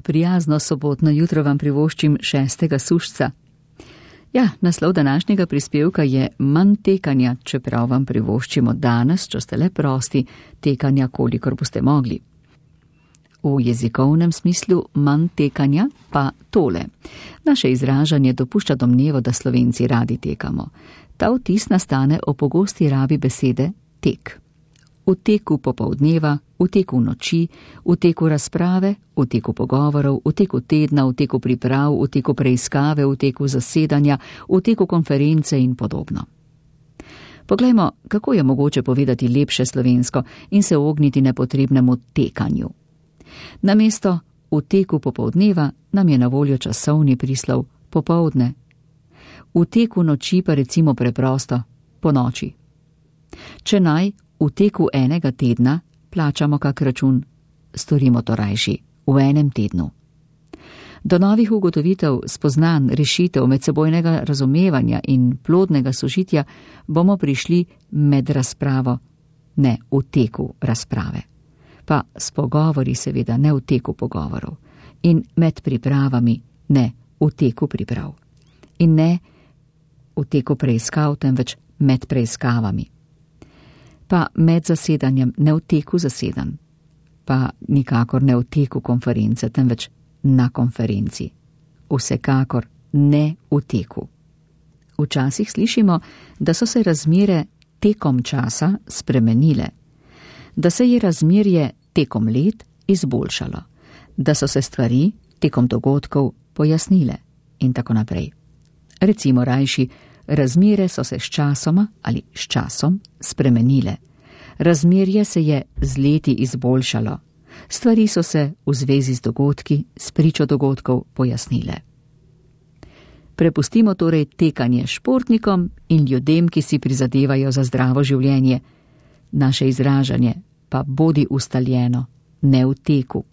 prijazno sobotno jutro vam privoščim 6. sušca. Ja, naslov današnjega prispevka je manj tekanja, čeprav vam privoščimo danes, če ste le prosti, tekanja, kolikor boste mogli. V jezikovnem smislu manj tekanja pa tole. Naše izražanje dopušča domnevo, da Slovenci radi tekamo. Ta vtis nastane o pogosti rabi besede tek. V teku popoldneva, v teku noči, v teku razprave, v teku pogovorov, v teku tedna, v teku priprav, v teku preiskave, v teku zasedanja, v teku konference in podobno. Poglejmo, kako je mogoče povedati lepše slovensko in se ogniti nepotrebnemu tekanju. Namesto v teku popoldneva nam je na voljo časovni prislov popoldne. V teku noči pa recimo preprosto po noči. Če naj v teku enega tedna plačamo kak račun, storimo to rajši v enem tednu. Do novih ugotovitev, spoznanj, rešitev, medsebojnega razumevanja in plodnega sožitja bomo prišli med razpravo, ne v teku razprave. Pa s pogovori seveda ne v teku pogovorov in med pripravami ne v teku priprav. In ne v teku preiskav, temveč med preiskavami. Pa med zasedanjem ne v teku zasedanj, pa nikakor ne v teku konference, temveč na konferenci. Vsekakor ne v teku. Včasih slišimo, da so se razmere tekom časa spremenile, da se je razmerje tekom let izboljšalo, da so se stvari tekom dogodkov pojasnile in tako naprej. Recimo rajši, razmere so se s časoma ali s časom spremenile. Razmerje se je z leti izboljšalo. Stvari so se v zvezi z dogodki, s pričo dogodkov pojasnile. Prepustimo torej tekanje športnikom in ljudem, ki si prizadevajo za zdravo življenje. Naše izražanje pa bodi ustaljeno, ne v teku.